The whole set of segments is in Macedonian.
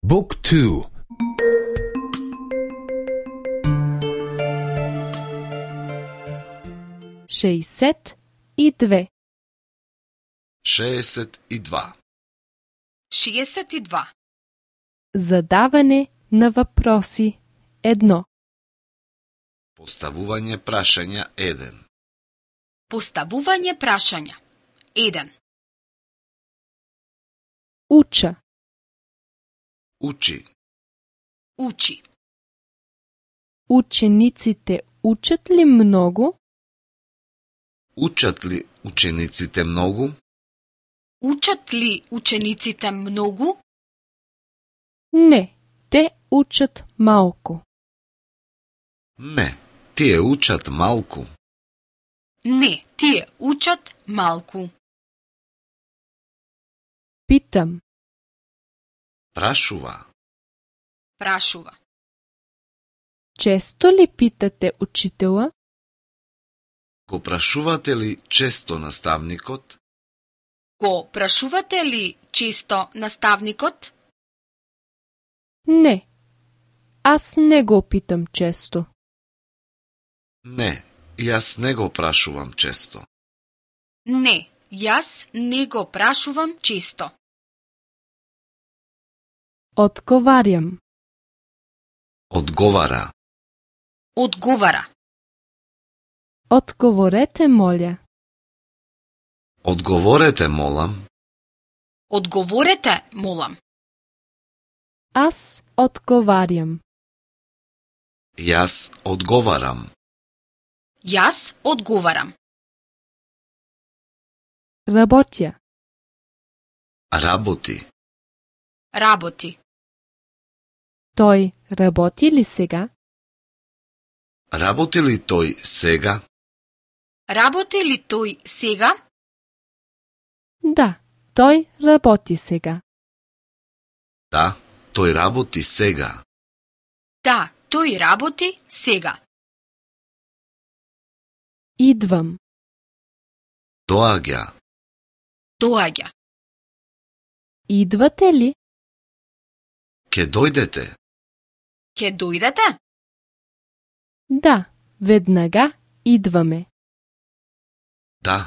Book 2. 62. 62. 62. Задаване на въпроси 1. Поставување прашања 1. Поставување прашања 1. Уча. Учи. Учи. Учениците учат ли много? Учат ли учениците многу? Учат ли учениците многу? Не, те учат малко. Не, тие учат малку. Не, тие учат малку. Питам. Прашува. Прашува. Често ли питате учителя? Го прашувате ли често наставникот? Го прашувате ли често наставникот? Не, аз не го питам често. Не, јас не го прашувам често. Не, јас не го прашувам често. Одговарям. Одговара. Одговара. Одговорете, моля. Одговорете, молам. Одговорете, молам. Аз одговарям. Јас одговарам. Јас одговарам. Работя. Работи. Работи. Той работи ли сега? Работи ли тој сега? Работи ли тој сега? Да, той работи сега. Да, тој работи сега. Да, тој работи сега. Идвам. Доаѓа. Доаѓа. Идвате ли? Ке дојдете. Ке дојдете? Да, веднага идваме. Да,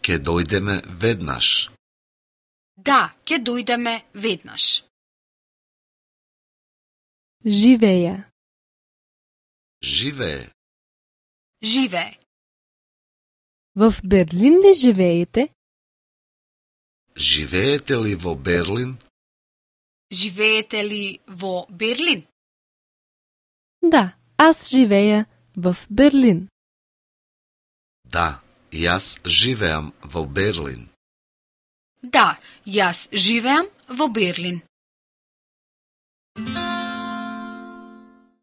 ке дојдеме веднаш. Да, ке дојдеме веднаш. Живея. Живее. Живее. В Берлин ли живеете? Живеете ли во Берлин? Живеете ли во Берлин? Да, аз живея в Берлин. Да, јас живеам во Берлин. Да, јас живеам во Берлин.